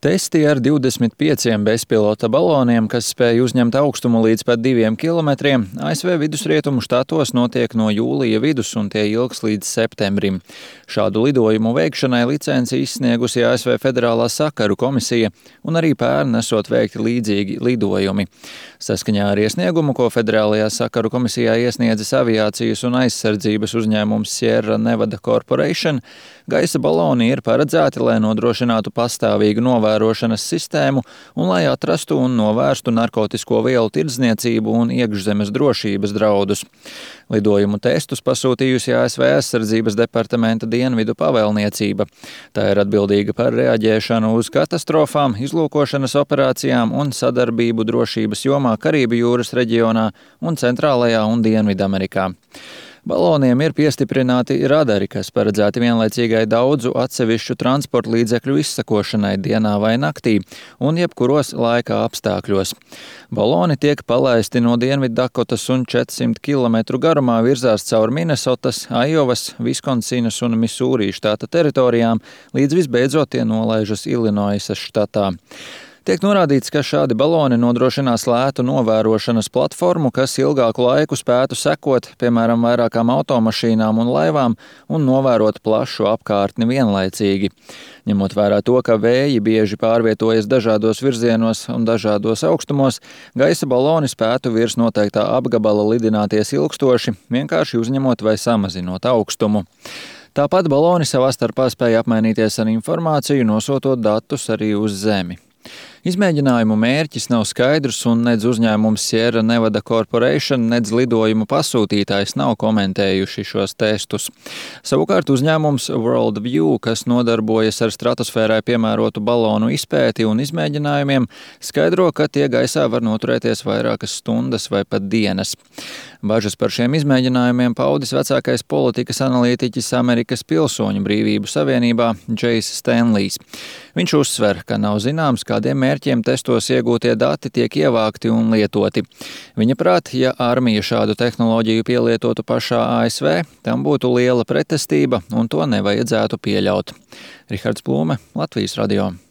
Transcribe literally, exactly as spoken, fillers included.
Testi ar divdesmit pieciem bezpilota baloniem, kas spēj uzņemt augstumu līdz pat diviem kilometriem, A S V vidusrietumu štatos notiek no jūlija vidus un tie ilgs līdz septembrim. Šādu lidojumu veikšanai licenci izsniegusi A S V Federālā sakaru komisija un arī pērn esot veikti līdzīgi lidojumi. Saskaņā ar iesniegumu, ko Federālajā sakaru komisijā iesniedzis aviācijas un aizsardzības uzņēmums Sierra Nevada Corporation, gaisa baloni ir paredzēti, lai nodrošinātu pastāvīgu novērošanas sistēmu un lai atrastu un novērstu narkotisko vielu tirdzniecību un iekšzemes drošības draudus. Lidojumu testus pasūtījusi A S V aizsardzības departamenta dienvidu pavēlniecība. Tā ir atbildīga par reaģēšanu uz katastrofām, izlūkošanas operācijām un sadarbību drošības jomā Karību jūras reģionā un Centrālajā un Dienvidamerikā. Baloniem ir piestiprināti radari, kas paredzēti vienlaicīgai daudzu atsevišķu transporta līdzekļu izsakošanai dienā vai naktī un jebkuros laika apstākļos. Baloni tiek palaisti no Dienviddakotas un četrsimt kilometru garumā virzās caur Minesotas, Aiovas, Viskonsinas un Misūrī štata teritorijām, līdz visbeidzot tie nolaižas Ilinoisas štatā. Tiek norādīts, ka šādi baloni nodrošinās lētu novērošanas platformu, kas ilgāku laiku spētu sekot, piemēram, vairākām automašīnām un laivām un novērot plašu apkārtni vienlaicīgi. Ņemot vērā to, ka vēji bieži pārvietojas dažādos virzienos un dažādos augstumos, gaisa baloni spētu virs noteiktā apgabala lidināties ilgstoši, vienkārši uzņemot vai samazinot augstumu. Tāpat baloni savā starpā spēja apmainīties ar informāciju, nosūtot datus arī uz Zemi. Izmēģinājumu mērķis nav skaidrs un nedz uzņēmums Sierra Nevada Corporation, nedz lidojumu pasūtītājs nav komentējuši šos testus. Savukārt uzņēmums Worldview, kas nodarbojas ar stratosfērai piemērotu balonu izpēti un izmēģinājumiem, skaidro, ka tie gaisā var noturēties vairākas stundas vai pat dienas. Bažas par šiem izmēģinājumiem paudis vecākais politikas analītiķis Amerikas Pilsoņu brīvību savienībā Džejs Stenlijs. Viņš uzsver, ka nav zināms, kādiem mērķiem testos iegūtie dati tiek ievākti un lietoti. Viņa prāt, ja armija šādu tehnoloģiju pielietotu pašā A S V, tam būtu liela pretestība un to nevajadzētu pieļaut. Rihards Plūme, Latvijas radio.